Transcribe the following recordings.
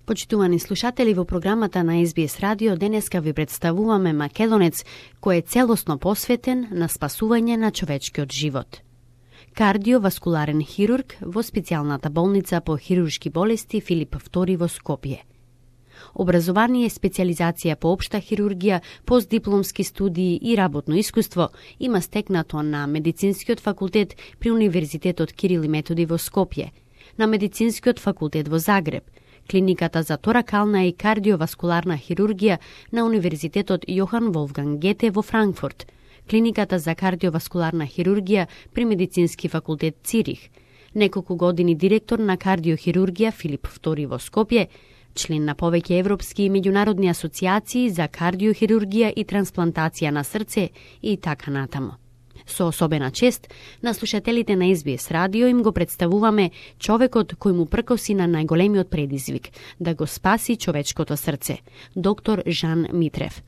Почитувани слушатели, во програмата на СБС Радио денеска ви представуваме Македонец кој е целосно посветен на спасување на човечкиот живот. Кардиоваскуларен хирург во специјалната болница по хируршки болести Филип II во Скопје. Образование, специјализација по општа хирургија, постдипломски студии и работно искуство има стекнато на Медицинскиот факултет при Универзитетот Кирил и Методи во Скопје, на Медицинскиот факултет во Загреб, Клиниката за торакална и кардиоваскуларна хирургија на Универзитетот Јохан Волфганг Гете во Франкфурт, Клиниката за кардиоваскуларна хирургија при Медицински факултет Цирих, неколку години директор на кардиохирургија Филип II во Скопје, член на повеќе европски и меѓународни асоциации за кардиохирургија и трансплантација на срце и така натаму. Со особена чест, на слушателите на СБС Радио им го представуваме човекот кој му пркоси на најголемиот предизвик да го спаси човечкото срце, доктор Жан Митрев.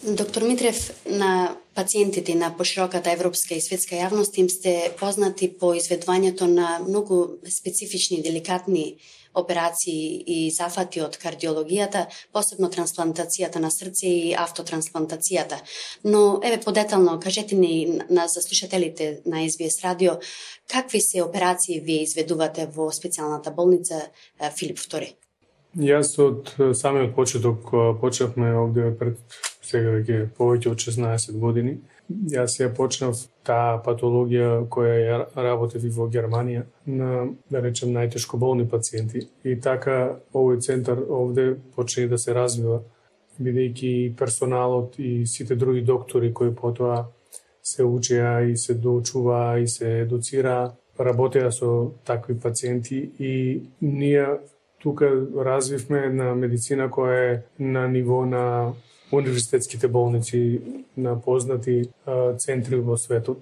Доктор Митрев, на пациентите на пошироката европска и светска јавност им сте познати по изведувањето на многу специфични, деликатни операции и зафати од кардиологијата, посебно трансплантацијата на срце и автотрансплантацијата. Но, подетално, кажете ни за слушателите на СБС Радио, какви се операции вие изведувате во специјалната болница Филип II? Јас од самиот почеток почнавме овде пред сега веќе повеќе од 16 години. Јас ја почнав таа патологија која ја работев и во Германија на, да речем, најтешко болни пациенти. И така овој центар овде почне да се развива, бидејќи персоналот и сите други доктори кои потоа се учеа и се доучуваа и се едуцираа, работеа со такви пациенти и ние тука развивме една медицина која е на ниво на универзитетските болници, на познати центри во светот.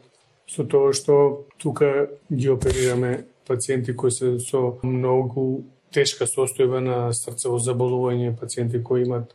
Со тоа што тука ги оперираме пациенти кои се со многу тешка состојба на срцево заболување, пациенти кои имат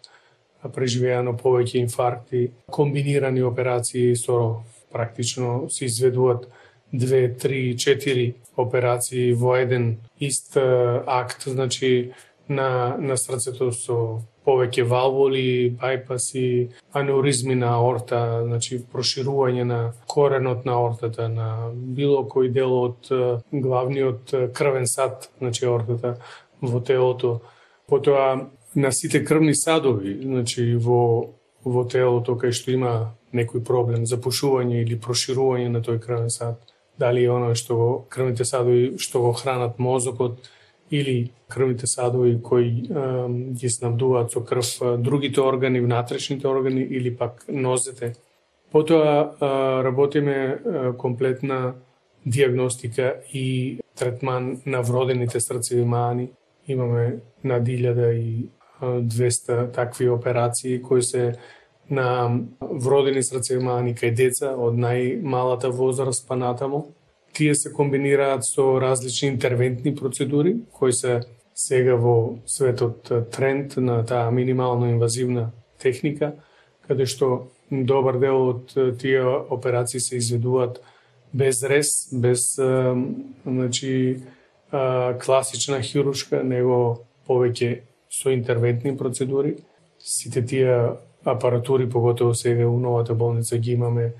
преживеано повеќе инфаркти, комбинирани операции со практично се изведуваат 2, 3, 4 операции во еден ист акт, значи на срцето со повеќе валвули, бајпаси, анеуризми на аорта, значи проширување на коренот на аортата, на било кој дел од главниот крвен сад, значи аортата во телото. Потоа на сите крвни садови, значи во телото кај што има некој проблем, запушување или проширување на тој крвен сад, дали е оно што крвните садови што го хранат мозокот, или крвните садови кои ги снабдуваат со крв другите органи, внатрешните органи или пак нозете. Потоа работиме комплетна диагностика и третман на вродените срцеви маани. Имаме над 1200 такви операции кои се на вродени срцеви маани кај деца од најмалата возраст па натаму. Тие се комбинираат со различни интервентни процедури, кои се сега во светот тренд на таа минимално инвазивна техника, каде што добар дел од тие операции се изведуваат без рез, без класична хируршка, него повеќе со интервентни процедури. Сите тие апаратури, поготово сега у новата болница ги имаме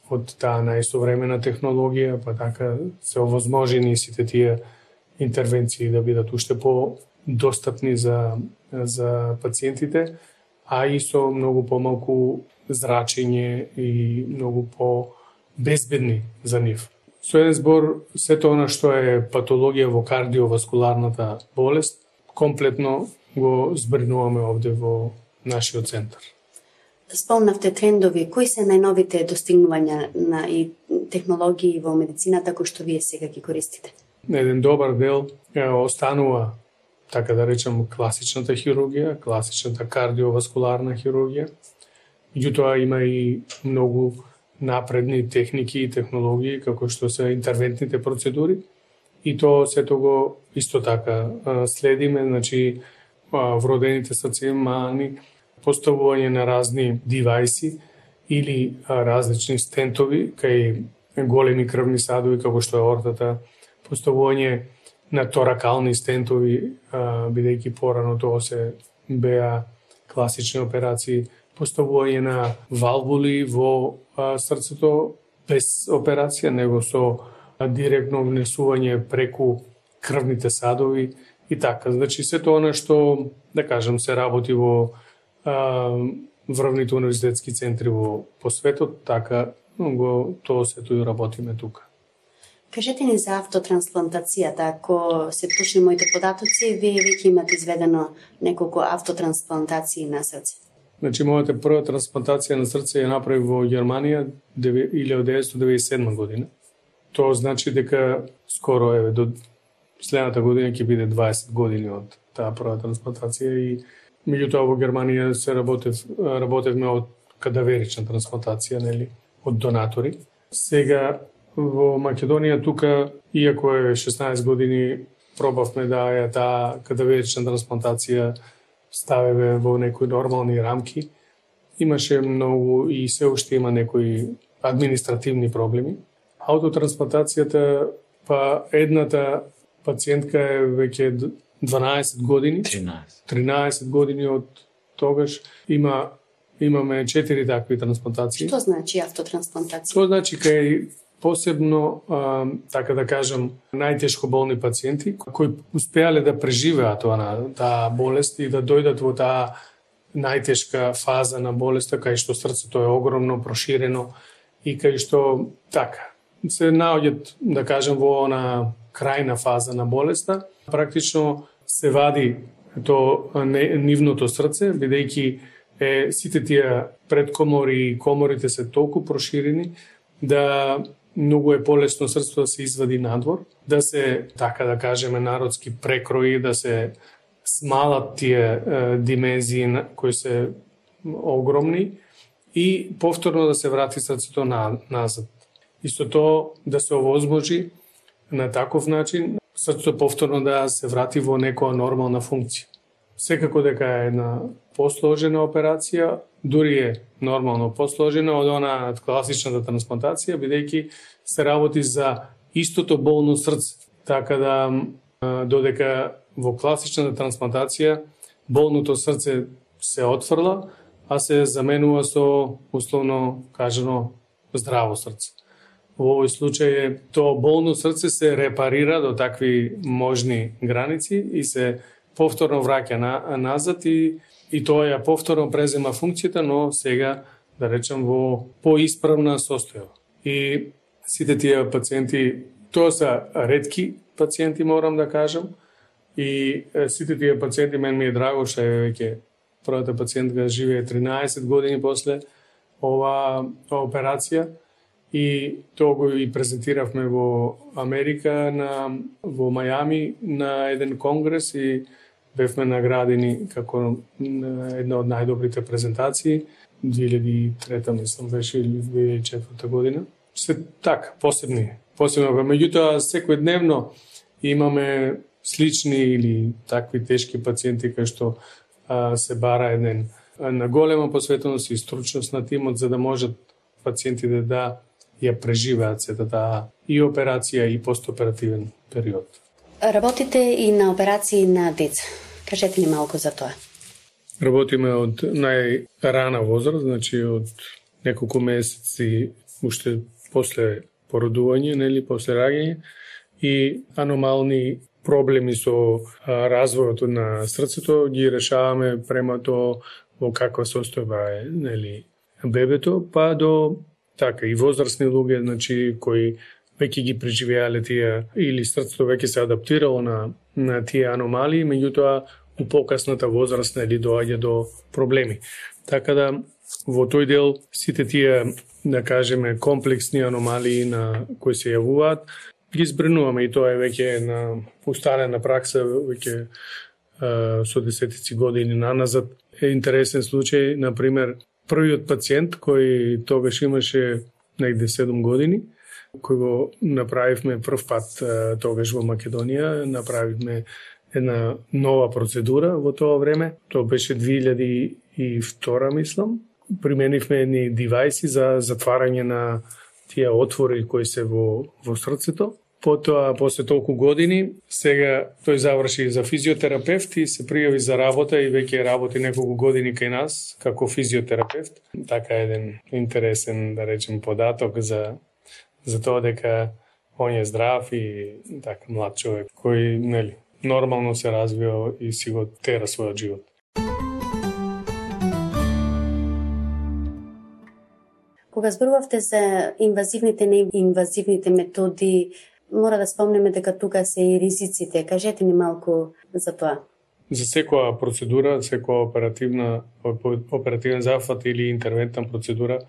од таа најсовремена технологија, па така се овозможени сите тие интервенции да бидат уште по-достапни за пациентите, а и со многу помалку зрачење и многу по-безбедни за нив. Со еден збор, сето она што е патологија во кардиоваскуларната болест, комплетно го збринуваме овде во нашиот центар. Спомнавте трендови, кои се најновите достигнувања и технологии во медицината кои што вие сега ги користите? Еден добар дел останува, така да речем, класичната хирургија, класичната кардиоваскуларна хирургија. Меѓутоа има и многу напредни техники и технологии, како што се интервентните процедури. И тоа сето го исто така следиме, значи вродените срцеви маани, поставување на разни девајси или различни стентови кај големи крвни садови, како што е аортата, поставување на торакални стентови, бидејќи порано тоа се беа класични операции, поставување на валвули во срцето без операција, него со директно внесување преку крвните садови и така. Значи, сето она што, да кажем, се работи во врвните универзитетски центри по светот, така тоа сето и работиме тука. Кажете ни за автотрансплантацијата. Ако се точни моите податоци, вие веќе имате изведено неколку автотрансплантации на срце. Значи, мојата прва трансплантација на срце ја направи во Германија 1997 година. Тоа значи дека скоро до следната година ќе биде 20 години од таа прва трансплантација и меѓутоа во Германија се работевме од кадаверична трансплантација, нели, од донатори. Сега во Македонија тука, иако е 16 години, пробавме да ја таа кадаверична трансплантација ставеве во некои нормални рамки. Имаше многу и се уште има некои административни проблеми. Аутотрансплантацијата, па едната пациентка е веќе 12 години. 13 години од тогаш. Имаме 4 такви трансплантации. Што значи автотрансплантација? Тоа значи кај посебно, така да кажам, најтешко болни пациенти кои успеале да преживеат таа болест и да дојдат во таа најтешка фаза на болеста, кај што срцето е огромно, проширено и кај што така се наоѓаат, да кажем, во она крајна фаза на болеста. Практично се вади нивното срце, бидејќи сите тие предкомори и коморите се толку проширени да многу е полесно срцето да се извади надвор, да се, така да кажеме, народски прекрои, да се смалат тие димензии кои се огромни и повторно да се врати срцето назад. Исто тоа да се овозможи на таков начин срцето повторно да се врати во некоја нормална функција. Секако дека е една посложена операција, дури е нормално посложена од она класичната трансплантација, бидејќи се работи за истото болно срце. Така да додека во класичната трансплантација болното срце се отфрла, а се заменува со условно кажано здраво срце. Во овој случај тоа болно срце се репарира до такви можни граници и се повторно враќа назад и тоа ја повторно презема функцијата, но сега, да речем, во поисправна состојба. И сите тие пациенти, тоа се ретки пациенти, морам да кажам, и сите тие пациенти, мен ми е драго што веќе првата пациентка живее 13 години после оваа операција, и тоа го и презентиравме во Америка, во Мајами, на еден конгрес и бевме наградени како една од најдобрите презентации. 2003 мислам беше или 2004 година. Се така, посебни. Меѓутоа, секојдневно имаме слични или такви тешки пациенти кои што се бара една голема посветеност и стручност на тимот за да можат пациентите да ја преживеат сета таа и операција и постоперативен период. Работите и на операции на деца. Кажете ни малку за тоа. Работиме од најрана возраст, значи од неколку месеци уште после породување, нели, после раѓање, и аномални проблеми со развојот на срцето ги решаваме према тоа во каква состојба е, нели, бебето, па до така и возрастни луѓе, значи кои веќе ги преживеале тие или срцето веќе се адаптирало на тие аномалии, меѓутоа у покасната возраст нели доаѓа до проблеми. Така да во тој дел сите тие, да кажеме, комплексни аномалии на кои се јавуваат, ги збринуваме и тоа е веќе на усталена пракса веќе со десетици години наназад. Е интересен случај, например, првиот пациент кој тогаш имаше негде 7 години, кој го направивме прв пат тогаш во Македонија, направивме една нова процедура во тоа време. Тоа беше 2002, мислам. Применивме едни девајси за затварање на тие отвори кои се во срцето. Потоа, после толку години, сега тој заврши за физиотерапевт и се пријави за работа и веќе работи неколку години кај нас како физиотерапевт. Така еден интересен, да речем, податок за тоа дека он е здрав и така млад човек кој, нели, нормално се развива и си го тера својот живот. Кога зборувавте за инвазивните, неинвазивните методи, мора да спомнеме дека тука се и ризиците. Кажете ни малку за тоа. За секоја процедура, секоја оперативен зафат или интервентна процедура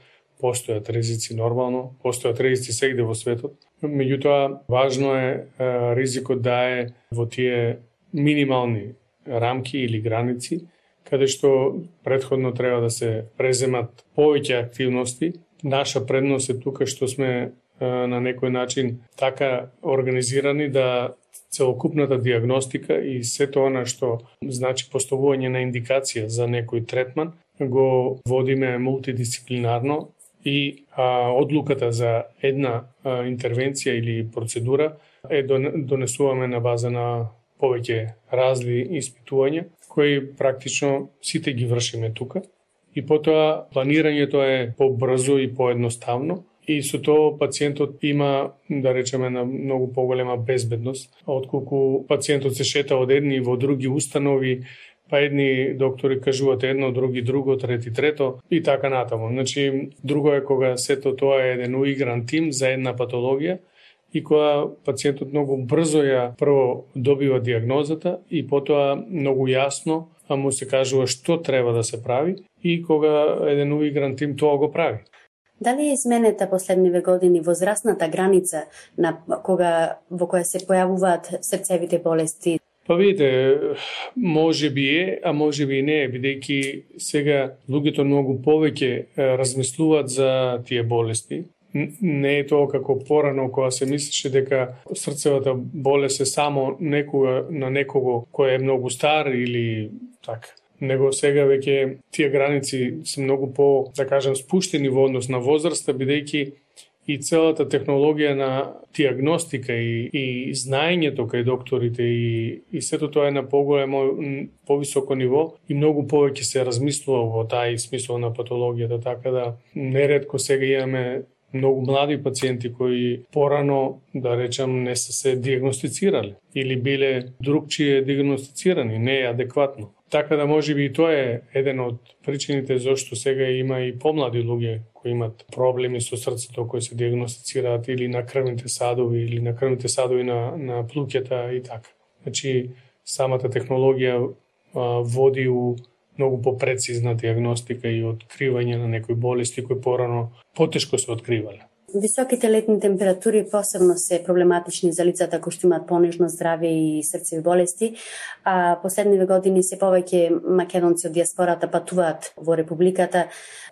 постојат ризици нормално, постојат ризици сегде во светот. Меѓутоа, важно е ризикот да е во тие минимални рамки или граници, каде што претходно треба да се преземат повеќе активности. Наша предност е тука што сме на некој начин така организирани да целокупната диагностика и сето она што значи поставување на индикација за некој третман го водиме мултидисциплинарно и одлуката за една интервенција или процедура донесуваме на база на повеќе разли испитувања кои практично сите ги вршиме тука и потоа планирањето е побрзо и поедноставно. И со тоа пациентот има, да речеме, на многу поголема безбедност, отколку пациентот се шета од едни во други установи, па едни доктори кажуваат едно, други друго, трети трето и така натаму. Значи, друго е кога сето тоа е еден уигран тим за една патологија и кога пациентот многу брзо ја прво добива диагнозата и потоа многу јасно му се кажува што треба да се прави и кога еден уигран тим тоа го прави. Дали е изменета последниве години возрастната граница на во која се појавуваат срцевите болести? Па видите, може би е, а може би и не е, бидејќи сега луѓето многу повеќе размислуваат за тие болести. Не е тоа како порано кога се мислеше дека срцевата болест е само на некого кој е многу стар или така. Него сега веќе тие граници се многу по, да кажем, спуштени во однос на возраста, бидејќи и целата технологија на диагностика и знаењето кај докторите и сето тоа е на повисоко ниво и многу повеќе се размислува во тај смисол на патологијата, така да неретко сега имаме многу млади пациенти кои порано, да речам, не се диагностицирали или биле другчие диагностицирани, не е адекватно. Така да може би и тоа е еден од причините зашто сега има и помлади луѓе кои имат проблеми со срцето кои се диагностицираат или на крвните садови или на крвните садови на плуќата и така. Значи самата технологија води у многу попрецизна диагностика и откривање на некои болести кои порано потешко се откривале. Високите летни температури посебно се проблематични за лицата кои што имаат понежно здравје и срцеви болести, а последниве години се повеќе македонци од диаспората патуваат во републиката,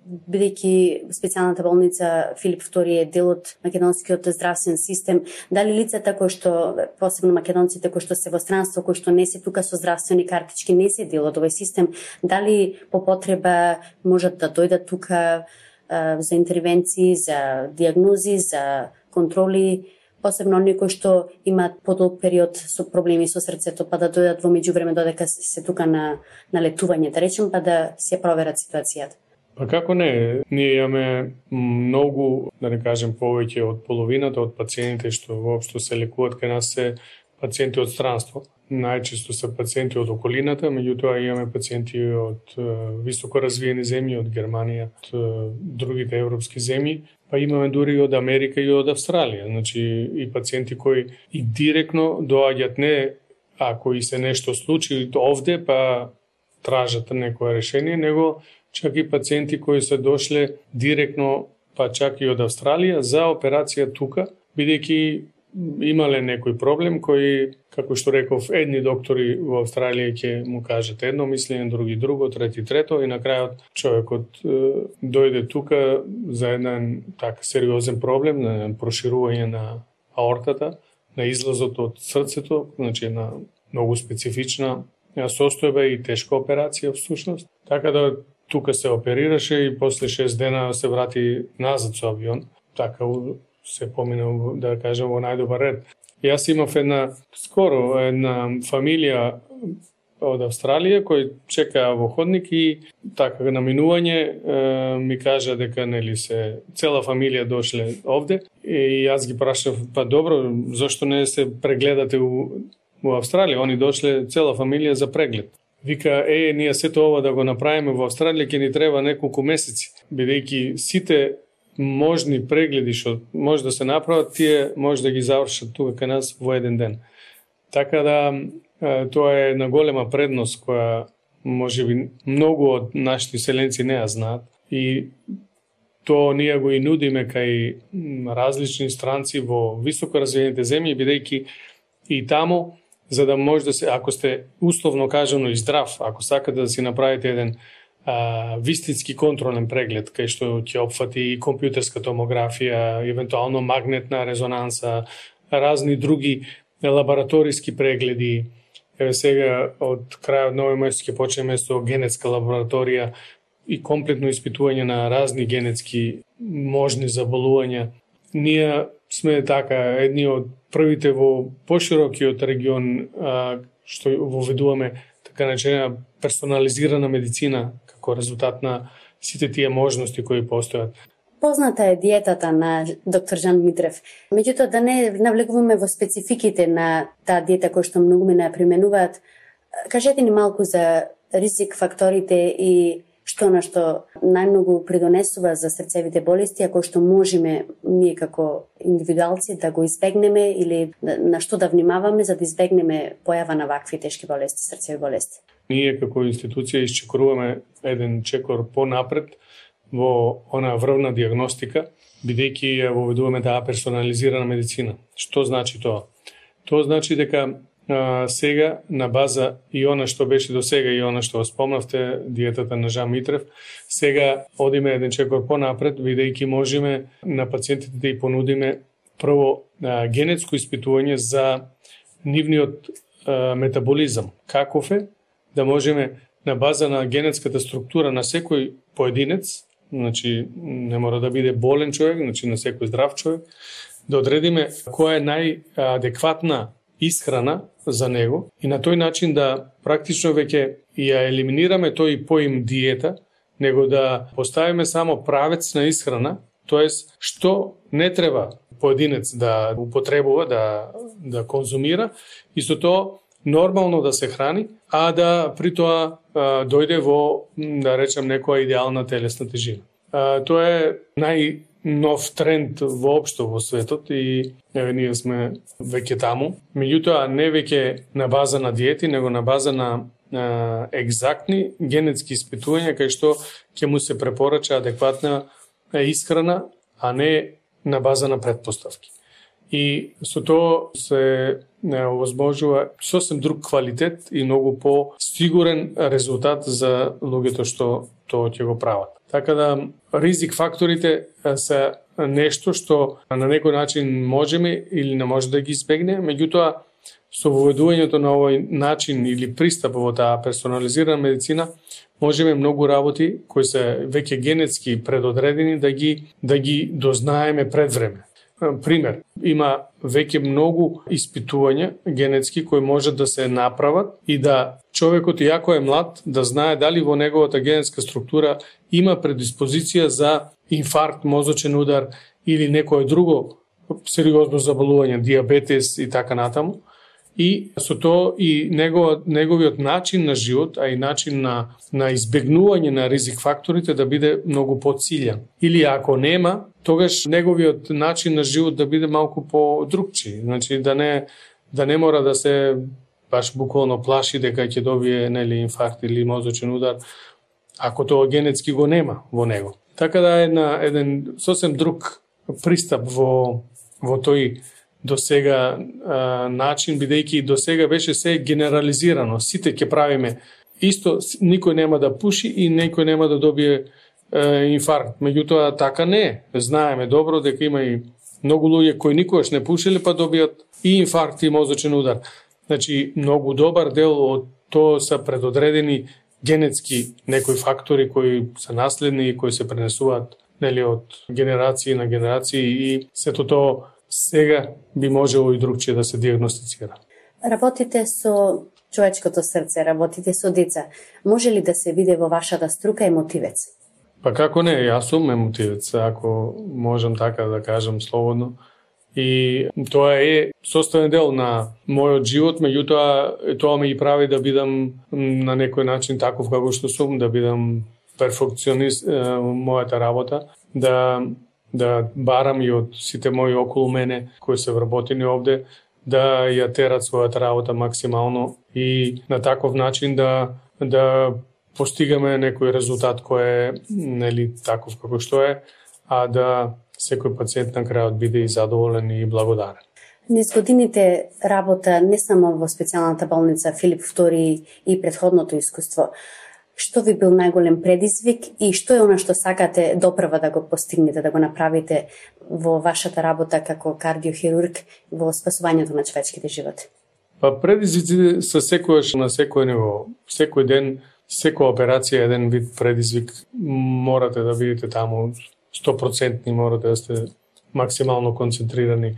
бидејќи специјалната болница Филип II е дел од македонскиот здравствен систем. Дали лицата кои што, посебно македонците кои што се во странство, кои што не се тука со здравствени картички, не се дел од овој систем, дали по потреба можат да дојдат тука за интервенции, за диагнози, за контроли, посебно оние кои што имаат подолг период со проблеми со срцето, па да дојдат во меѓувреме додека се тука на летување, да речем, па да се проверат ситуацијата. Па како не, ние имаме многу, да не кажем повеќе од половината од пациентите што воопшто се лекуваат кај нас се пациенти од странство. Најчесто се пациенти од околината, меѓутоа имаме пациенти од високо развиени земји, од Германија, од другите европски земји, па имаме дури од Америка и од Австралија. Значи и пациенти кои и директно доаѓаат не ако и се нешто случи овде, па тражат некое решение, него чак и пациенти кои се дошле директно, па чак и од Австралија за операција тука, бидејќи имале некој проблем кој, како што реков, едни доктори во Австралија ќе му кажат едно мислење, други друго, трети трето и на крајот човекот дојде тука за еден така сериозен проблем, на проширување на аортата, на излазот од срцето, значи на многу специфична состојба и тешка операција всушност. Така да тука се оперираше и после 6 дена се врати назад со авион. Така се помина, да кажем, во најдобар ред. Јас имав една фамилија од Австралија кој чекаа во ходник и така на минување ми кажа дека се цела фамилија дошле овде и јас ги прашав, па добро, зошто не се прегледате во Австралија? Они дошле цела фамилија за преглед. Вика, ние сето ова да го направиме во Австралија ќе ни треба неколку месеци, бидејќи сите можни прегледи што може да се направат, тие може да ги завршат тука кај нас во еден ден. Така да тоа е една голема предност која можеби многу од нашите селенци не ја знаат и тоа ние го и нудиме кај различни странци во високо развиените земји, бидејќи и таму за да може да се, ако сте условно кажано и здрав, ако сакате да си направите еден вистински контролен преглед, кај што ќе опфати и компјутерска томографија, евентуално магнетна резонанса, разни други лабораториски прегледи. Сега од крајот на овој месец ќе почнеме со генетска лабораторија и комплетно испитување на разни генетски можни заболувања. Ние сме така едни од првите во поширокиот регион што воведуваме така наречена персонализирана медицина како резултат на сите тие можности кои постојат. Позната е диетата на доктор Жан Митрев. Меѓутоа, да не навлегуваме во спецификите на таа диета која што многу мене ја применуваат, кажете ни малку за ризик факторите и што на што најмногу придонесува за срцевите болести, ако што можеме ние како индивидуалци да го избегнеме или на што да внимаваме за да избегнеме појава на вакви тешки болести, срцеви болести. Ние како институција исчекоруваме еден чекор понапред во она врвна диагностика, бидејќи ја воведуваме таа персонализирана медицина. Што значи тоа? Тоа значи дека сега на база и она што беше до сега и она што спомнавте, диетата на Жан Митрев, сега одиме еден чекор понапред, бидејќи можеме на пациентите да и понудиме прво генетско испитување за нивниот метаболизам. Каков е, да можеме на база на генетската структура на секој поединец, значи не мора да биде болен човек, значи на секој здрав човек, да одредиме која е најадекватна исхрана за него и на тој начин да практично веќе ја елиминираме тој поим диета, него да поставиме само правец на исхрана, тоест што не треба поединец да употребува, да конзумира, и со тоа нормално да се храни, а да при тоа дојде во, да речем, некоја идеална телесна тежина. Тоа е најнов тренд воопшто во светот и ние сме веќе таму. Меѓутоа, не веќе на база на диети, него на база на екзактни генетски испитувања, кај што ќе му се препорача адекватна исхрана, а не на база на претпоставки. И со тоа се овозможува сосем друг квалитет и многу по-сигурен резултат за луѓето што тоа ќе го прават. Така да ризик факторите се нешто што на некој начин можеме или не може да ги избегне, меѓутоа со воведувањето на овој начин или пристап во таа персонализирана медицина можеме многу работи кои се веќе генетски предодредени да ги дознаеме пред време. Пример, има веќе многу испитувања генетски кои можат да се направат и да човекот, иако е млад, да знае дали во неговата генетска структура има предиспозиција за инфаркт, мозочен удар или некое друго сериозно заболување, диабетес и така натаму. И со тоа и неговиот начин на живот, а и начин на избегнување на ризик факторите да биде многу поцилјан. Или ако нема, тогаш неговиот начин на живот да биде малку по-другчи. Значи да не мора да се баш буквално плаши дека ќе добие инфаркт или мозочен удар, ако тоа генетски го нема во него. Така да е еден сосем друг пристап во тој до сега начин, бидејќи до сега беше се генерализирано. Сите ќе правиме исто, никој нема да пуши и никој нема да добие инфаркт. Меѓутоа така не е. Знаеме добро дека има и многу луѓе кои никогаш не пушиле па добијат и инфаркт и мозочен удар. Значи многу добар дел од тоа се предодредени генетски некои фактори кои се наследни и кои се пренесуваат од генерации на генерации и сето тоа сега би можело и другчие да се диагностицира. Работите со човечкото срце, работите со деца. Може ли да се види во вашата струка емотивец? Па како не, јас сум емотивец, ако можам така да кажам слободно. И тоа е составен дел на мојот живот, меѓутоа тоа ме и прави да бидам на некој начин таков како што сум, да бидам перфекционист мојата работа, да барам и од сите мои околу мене кои се вработени овде, да ја терат својата работа максимално и на таков начин да постигаме некој резултат кој е нели таков како што е, а да секој пациент на крајот биде и задоволен и благодарен. Низ годините работа не само во специјалната болница Филип II и претходното искуство, што ви бил најголем предизвик и што е она што сакате допрва да го постигнете, да го направите во вашата работа како кардиохирург во спасувањето на човечките животи? Па предизвиците се секојаш на секој ниво. Секој ден, секоја операција е еден вид предизвик. Морате да бидете таму 100%, морате да сте максимално концентрирани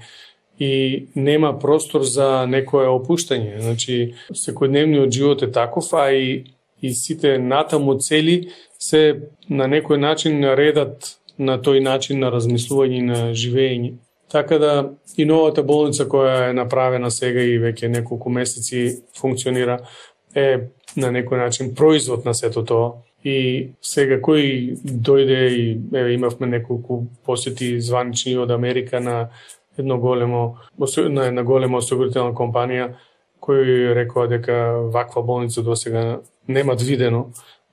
и нема простор за некое опуштање. Значи, секојдневниот живот е таков, а и сите натаму цели се на некој начин редат на тој начин на размислување и на живење. Така да и новата болница која е направена сега и веќе неколку месеци функционира е на некој начин производ на сето тоа. И сега кој дојде и имавме неколку посети званични од Америка на една голема осигурителна компанија кој рекоа дека ваква болница досега немат видено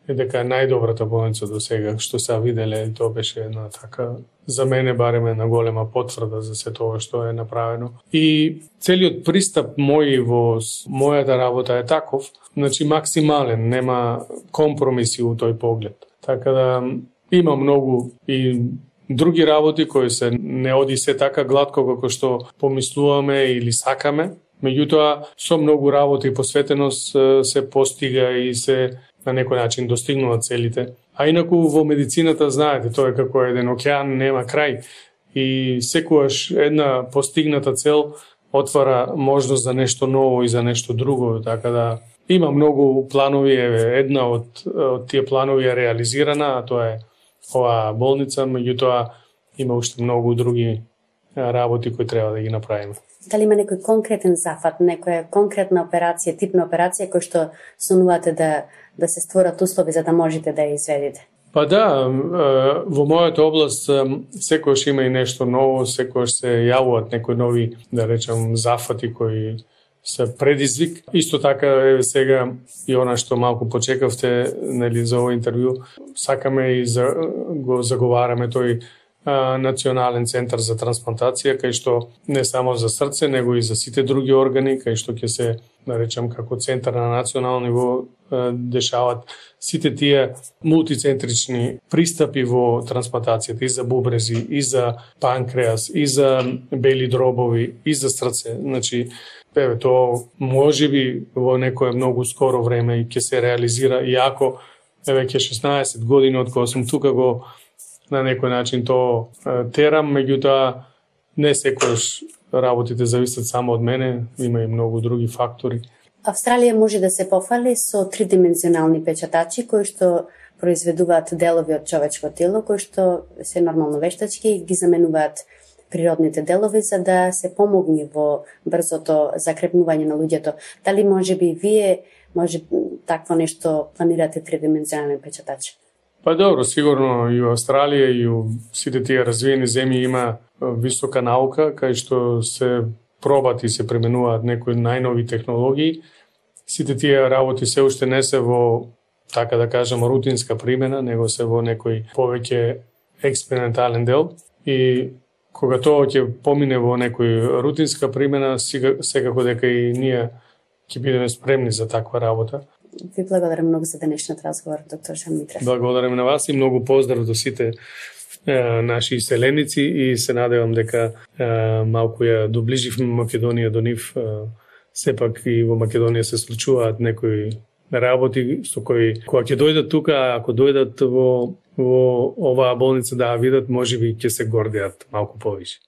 и дека е најдобрата болница до сега што се виделе. Тоа беше една така, за мене барем една голема потврда за се тоа што е направено. И целиот пристап мој во мојата работа е таков, значи максимален, нема компромиси у тој поглед. Така да има многу и други работи кои се не оди се така гладко како што помислуваме или сакаме. Меѓутоа, со многу работа и посветеност се постига и се на некој начин достигнуваат целите. А инаку во медицината, знаете, тоа е како еден океан, нема крај. И секогаш една постигната цел отвара можност за нешто ново и за нешто друго. Така да има многу планови, една од тие планови е реализирана, а тоа е оваа болница, меѓутоа има уште многу други работи кои треба да ги направиме. Дали има некој конкретен зафат, некоја конкретна операција, типна операција кој што сонувате да се створат услови за да можете да ја изведете? Па да, во мојата област секојаш има и нешто ново, секојаш се јавуваат некои нови, да речам, зафати кои се предизвик. Исто така сега и она што малку почекавте, нели, за овој интервју, сакаме и го заговараме тој национален центар за трансплантација, кај што не само за срце, него и за сите други органи, кај што ќе се, да речам, како центар на национално ниво дешават сите тие мултицентрични пристапи во трансплантацијата и за бубрези, и за панкреас, и за бели дробови, и за срце. Значи, тоа можеби во некое многу скоро време и ќе се реализира, иако веќе 16 години од кога сум тука го на некој начин то терам, меѓутоа не секојаш работите зависат само од мене, има и многу други фактори. Австралија може да се пофали со тридимензионални печатачи кои што произведуваат делови од човечко тело, кои што се нормално вештачки и ги заменуваат природните делови за да се помогне во брзото закрепнување на луѓето. Дали можеби вие такво нешто планирате тридимензионален печатач? Па добро, сигурно и во Австралија и у сите тие развиени земји има висока наука, кај што се пробат и се применуваат некои најнови технологии. Сите тие работи се уште не се во, така да кажам, рутинска примена, него се во некој повеќе експериментален дел. И кога тоа ќе помине во некој рутинска примена, секако дека и ние ќе бидеме спремни за таква работа. Ви благодарам многу за денешниот разговор, доктор Жан Митрев. Благодарам на вас и многу поздрав до сите наши иселеници и се надевам дека малку ја доближивме Македонија до нив. Сепак и во Македонија се случуваат некои работи со кои кога ќе дојдат тука, ако дојдат во оваа болница да видат, можеби ќе се гордеат малку повише.